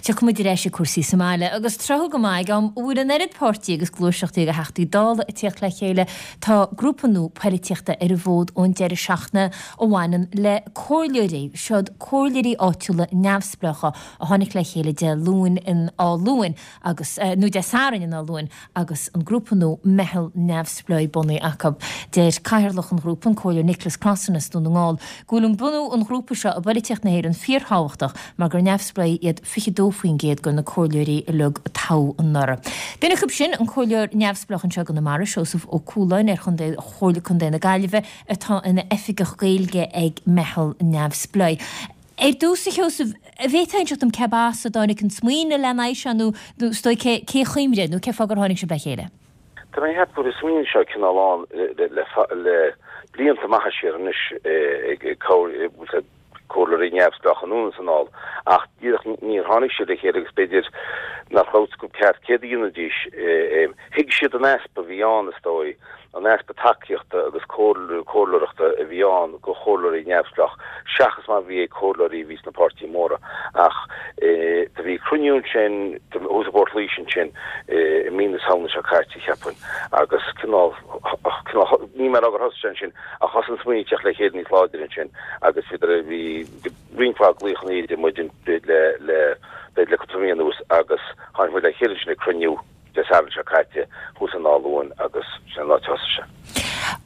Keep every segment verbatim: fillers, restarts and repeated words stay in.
Tiocfaidh muid ar ais ag cúrsaí sa mbaile agus tráth go maith ag am a bhfuil an oiread páirtí agus gluaiseachtaí agus Teachtaí Dála ag tíocht le chéile tá grúpa nua poilitíochta ar an bhfód ón deireadh seachtaine a bhaineann le comhairleoirí. Siod comhairleoirí áitiúla neamhspleácha a tháinig le chéile Dé Luain in Áth Luain agus nó Dé Sathairn in Áth Luain agus an grúpa nua Meitheal Neamhspleách bunaithe acu. Deir cathaoirleach an ghrúpa an Comhairleoir Nicholas Crossan as Dún na nGall go bhfuil an bunú an ghrúpa seo i bpolaitíocht na hÉireann fíorthábhachtach mar gur neamhspleách iad fiche dó faoin gcéad de na comhairleoirí uilig a toghadh anuraidh. Duine acu sin an comhairleoir neamhspleách anseo i gConamara, Seosamh Ó Cualáin ar chontae Chomhairle Contae na Gaillimhe atá ina oifigeach Gaeilge ag Meitheal Neamhspleách. Ar dtús a Sheosaimh, an bhféadfá inseacht dom cé as a dtáinig an smaoineamh lena aghaidh seo nó nó is dóigh cé cé chuimre nó cé fáth gur tháinig sibh le chéile? Tá mé ag ceapadh go bhfuil an smaoineamh seo cineál ann le le le blianta maithe siar anois ag ag comhairleoirí neamhspleácha anonn is anall ach díreach níor tháinig siad le chéile agus b'fhéidir nach raibh a fhios acu ceart céard a dhéanfaidís. Thuig siad an easpa a bhí ann is dóigh, an easpa tacaíochta agus comhairleoireachta a bhí ann do chomhairleoirí neamhspleách seachas mar a bhí ag comhairleoirí a bhí sna páirtithe móra. Ach do bhí cruinniú ansin thuas i bPort Laoise ansin i mí na Samhna seo caite, cheapfainn, agus cineál, cineál, níl mé ag rá gur thosaigh sé ansin ach thosaigh an smaoineamh ag teacht le chéile níos láidre ansin agus bhíodar, bhí roinnt mhaith glaochanna idir muid le, le, b'fhéidir le cúpla mí anuas agus tháinig muid le chéile ansin ag cruinniú Dé Sathairn seo caite thuas in Áth Luain agus sin an áit a thosaigh sé.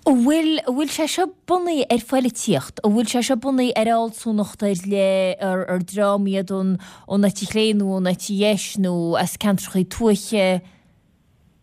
An bhfuil, an bhfuil sé seo bunaithe ar phoilitíocht? An bhfuil sé seo bunaithe ar fhealsúnacht ar leith, ar, ar dream iad ón, ón eite chlé nó ón eite dheis nó as ceantracha tuaithe?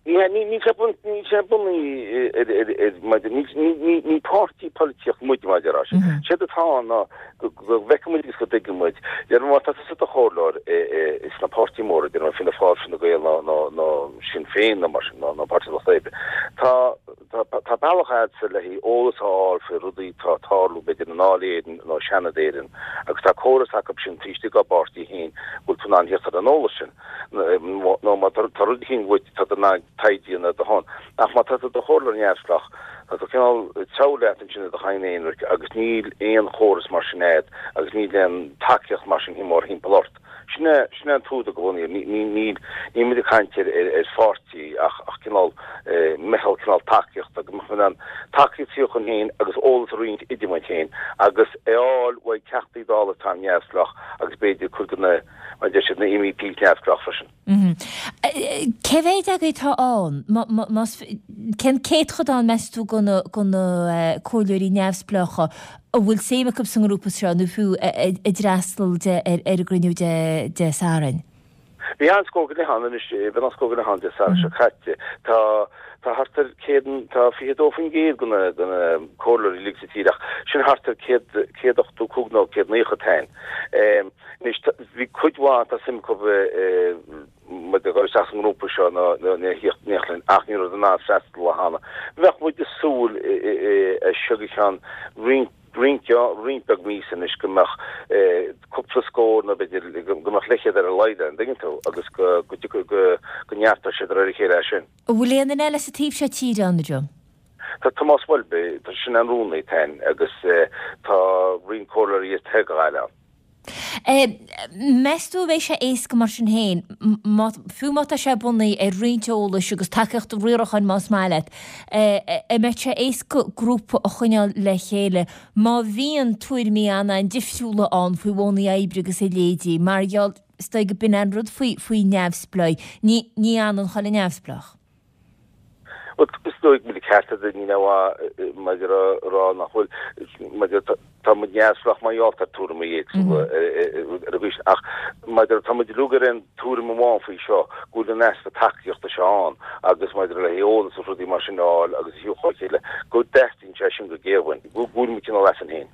Ní hea, níl sé níl sé bunaithe ar, ar, ar, maidir, ní, ní, ní, ní páirtí polaitíocht muid, mar a déarfá. Séard atá ann ná go, go bhfeiceann muid agus go dtuigeann muid, déarfainn má tá tusa i do chomhairleoir i, i, sna páirtí móra, déarfainn Fianna Fáil, Fine Gael nó, nó, nó Sinn Féin nó mar sin, nó, nó Páirtí an Lucht Oibre, tá, tá, tá bealach a'dsa le haghaidh eolas a fháil faoi rudaí atá ag tarlú, b'fhéidir i nDáil Éireann nó i Seanad Éireann agus tá córas acu sin taobh istigh dá bpáirtí féin go bhfuil tú in ann theacht ar an eolas sin. nó má tá rud eicínt uait tá tú in ann taighde a dhéanamh ar do shon. Ach má tá tú i do chomhairleoir neamhspleách, tá tú cineál ag treabhadh leat ansin i do chadhn aonraic agus níl aon chóras mar sin a'd agus níl aon tacaíocht mar sin mórthimpeall ort. Sin é, sin é an t-údar go bhfuil, ní, ní, níl, níl muid ag caint ar, ar, ar pháirtí ach, ach cineál meitheal, cineál tacaíochta, go mbeadh muid in ann tacaíocht a thabhairt chugainn féin agus eolas a roinnt idir muid féin agus é a fháil uaidh Teachtaí Dála atá neamhspleách agus b'fhéidir cuid de na Mar a deir siad, na MEPs neamhspleách freisin. Cé mhéad agaibh atá ann? Más, cén céatadán, meas tú, de na comhairleoirí neamhspleácha a bhfuil suim acu sa ngrúpa seo nó fiú a d'fhreastail ar an gcruinniú Dé Sathairn? Bhí an-scór go leith ann anois, bhí an-scór go leith ann Dé Sathairn seo caite. Tá tá thart ar céad, tá fiche dó faoin gcéad de na de na comhairleoirí uilig sa tír ach sin thart ar céad, céad ochtó cúig nó céad naocha atá ann. Anois, bhí cuid mhaith, tá suim acu muid a dhul isteach sa ngrúpa seo nó a thíocht in éineacht linn ach ní raibh in ann freastal cheana. Bheadh muid ag súil as seo go ceann roinnt, roinnt, roinnt beag míosa anois go mbeadh cúpla scór nó b'fhéidir go mbeadh leathchéad ar a laghad ann, an dtuigeann tú, agus go, go, go, go neartódh sé de réir a chéile as sin. An bhfuil aon duine eile sa taobh seo tíre ann, a Joe? Tá Tomás Welby, tá sin an rúnaí atá ann agus tá roinnt comhairleoirí as taobh Ghaillimhe ann. Meas tú an mbeidh sé éasca mar sin féin, fiú má tá sé bunaithe ar roinnt eolais agus tacaíocht riaracháin más maith leat, an mbeidh sé éasca grúpa a choinneáil le chéile má bhíonn tuairimí an-an-difriúla ann faoi mhodhanna oibre agus a leithéidí, mar gheall, is dóigh go b'in an rud faoi faoi neamhspleáigh, ní ní fhanann chuile neamhspleách. Bhuel, is dóigh go bhfuil ceart agat, ní maidir a rá nach bhfuil, maidir tá muid neamhspleách mar gheall ar tuairimí éagsúla ar an gcaoi sin, ach maidir tá muid uilig ar aon tuairim amháin faoi seo, go bhfuil an easpa tacaíochta seo ann agus maidir le heolas agus rudaí mar sin a fháil agus a thabhairt chun chéile, go dteastaíonn sé sin go géar uainn, go bhfuil muid cineál asainn féin.